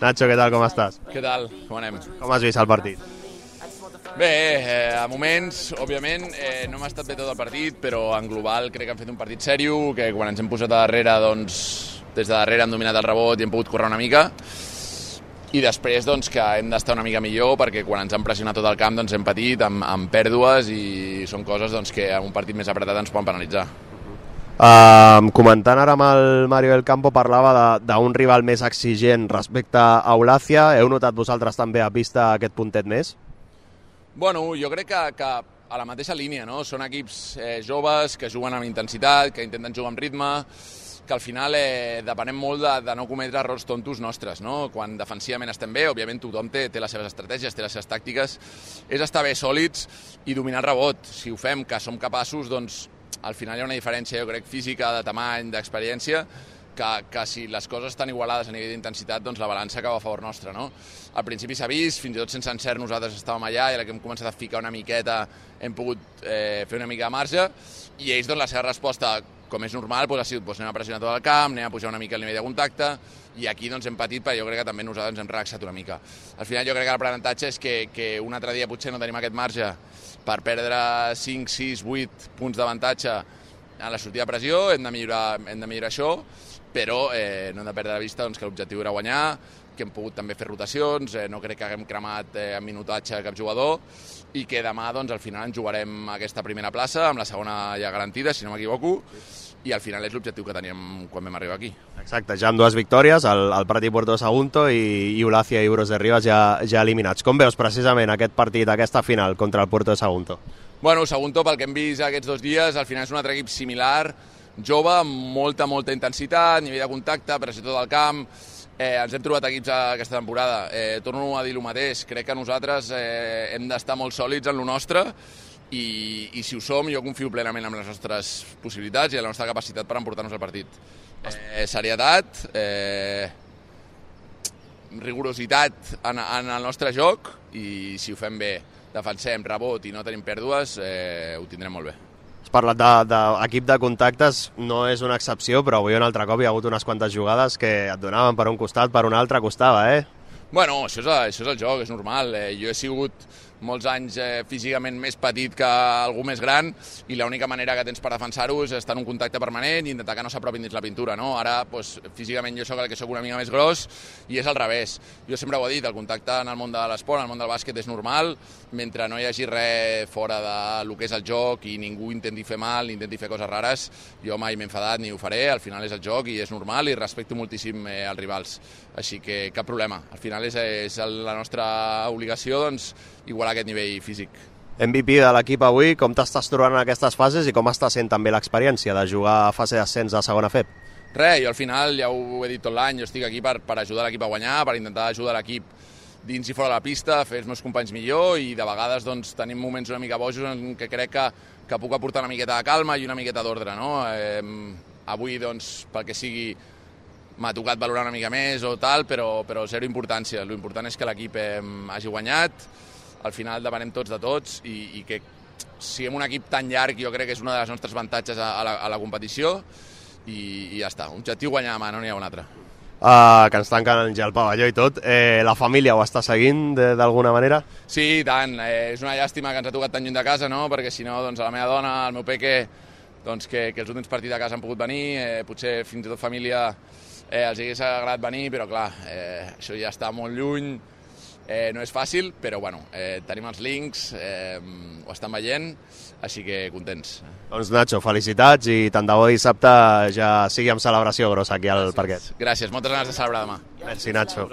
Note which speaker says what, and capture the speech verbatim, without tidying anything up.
Speaker 1: Nacho, què tal, com estàs?
Speaker 2: Què tal? Com anem?
Speaker 1: Com has vist el partit?
Speaker 2: Bé, eh, a moments, òbviament, eh, no m'ha estat bé tot el partit, però en global crec que han fet un partit sèrio, que quan ens hem posat a darrere, doncs, des de darrere hem dominat el rebot i hem pogut córrer una mica, i després doncs, que hem d'estar una mica millor, perquè quan ens han pressionat tot el camp doncs, hem patit amb, amb pèrdues i són coses doncs, que en un partit més apretat ens poden penalitzar.
Speaker 1: Uh, comentant ara amb el Mario del Campo, parlava d'un rival més exigent respecte a Eulàcia. Heu notat vosaltres també a pista aquest puntet més?
Speaker 2: Bueno, jo crec que, que a la mateixa línia, no? Són equips eh, joves que juguen amb intensitat, que intenten jugar amb ritme, que al final eh, depenem molt de, de no cometre errors tontos nostres, no? Quan defensivament estem bé, òbviament tothom té, té les seves estratègies, té les seves tàctiques, és estar bé sòlids i dominar el rebot. Si ho fem, que som capaços, doncs al final hi ha una diferència, jo crec, física, de tamany, d'experiència, que, que si les coses estan igualades a nivell d'intensitat, doncs la balança acaba a favor nostre, no? Al principi s'ha vist, fins i tot sense encert nosaltres estàvem allà, i a la que hem començat a ficar una miqueta hem pogut eh, fer una mica de marge, i ells, doncs, la seva resposta, com és normal, doncs, ha sigut doncs, anem a pressionar tot el camp, anem a pujar una mica el nivell de contacte, i aquí doncs, hem patit, però jo crec que també nosaltres ens hem relaxat una mica. Al final jo crec que l'aprenentatge és que, que un altre dia potser no tenim aquest marge per perdre cinc, sis, vuit punts d'avantatge en la sortida de pressió, hem de millorar, hem de millorar això, però eh, no hem de perdre de vista doncs, que l'objectiu era guanyar, que hem pogut també fer rotacions, eh, no crec que haguem cremat eh, en minutatge cap jugador, i que demà doncs, al final ens jugarem aquesta primera plaça, amb la segona ja garantida, si no m'equivoco, i al final és l'objectiu que teníem quan vam arribar aquí.
Speaker 1: Exacte, ja amb dues victòries, el, el Prat i Puerto Sagunto i, i Eulàcia i Bros de Rivas ja, ja eliminats. Com veus precisament aquest partit, aquesta final contra el Puerto de Sagunto?
Speaker 2: Bueno, Sagunto, pel que hem vist aquests dos dies, al final és un altre equip similar, jove, amb molta, molta intensitat, nivell de contacte, pressió tot el camp. Eh, ens hem trobat equips aquesta temporada. Eh, torno a dir el mateix, crec que nosaltres eh, hem d'estar molt sòlids en lo nostre, i, i si ho som, jo confio plenament en les nostres possibilitats i en la nostra capacitat per emportar-nos el partit. Eh, serietat, eh, rigorositat en, en el nostre joc, i si ho fem bé, defensem, rebot i no tenim pèrdues, eh, ho tindrem molt bé.
Speaker 1: Has parlat d'equip de, de contactes, no és una excepció, però avui un altre cop hi ha hagut unes quantes jugades que et donaven per un costat, per un altre costava, eh?
Speaker 2: Bueno, això és, això és el joc, és normal. Eh, jo he sigut molts anys eh, físicament més petit que algú més gran, i l'única manera que tens per defensar-ho és estar en un contacte permanent i intentar que no s'apropin dins la pintura, no? Ara, doncs, físicament jo soc el que soc una mica més gros, i és al revés. Jo sempre ho he dit, el contacte en el món de l'esport, en el món del bàsquet, és normal, mentre no hi hagi res fora del que és el joc i ningú intenti fer mal, ni intenti fer coses rares, jo mai m'he enfadat ni ho faré, al final és el joc i és normal, i respecto moltíssim eh, els rivals. Així que cap problema. Al final és, és la nostra obligació, doncs, igualar aquest nivell físic.
Speaker 1: M V P de l'equip avui, com t'estàs trobant en aquestes fases i com està sent també l'experiència de jugar a fase d'ascens de segona F E P?
Speaker 2: Res, jo al final, ja ho he dit tot l'any, jo estic aquí per, per ajudar l'equip a guanyar, per intentar ajudar l'equip dins i fora de la pista, fer els meus companys millor, i de vegades doncs, tenim moments una mica bojos en què crec que, que puc aportar una miqueta de calma i una miqueta d'ordre, no? Eh, avui, doncs, pel que sigui, m'ha tocat valorar una mica més o tal, però, però zero importància. L'important és que l'equip eh, hagi guanyat, al final depenem tots de tots, i, i que siguem un equip tan llarg, jo crec que és una de les nostres avantatges a, a, la, a la competició, i, i ja està. Objectiu guanyar demà, no n'hi ha un altre.
Speaker 1: Uh, que ens tanquen ja el pavelló i tot. Eh, la família ho està seguint d'alguna manera?
Speaker 2: Sí, i tant. Eh, és una llàstima que ens ha tocat tan lluny de casa, no? Perquè si no, doncs, a la meva dona, al meu peque, doncs, que, que els últims partits de casa han pogut venir, eh, potser fins i tot família eh, els hagués agradat venir, però clar, eh, això ja està molt lluny. Eh, no és fàcil, però bueno, eh, tenim els links, eh, ho estan veient, així que contents.
Speaker 1: Doncs Nacho, felicitats, i tant de bo dissabte ja sigui amb celebració grossa aquí al parquet.
Speaker 2: Gràcies, moltes ganes de celebrar demà.
Speaker 1: Merci, Nacho.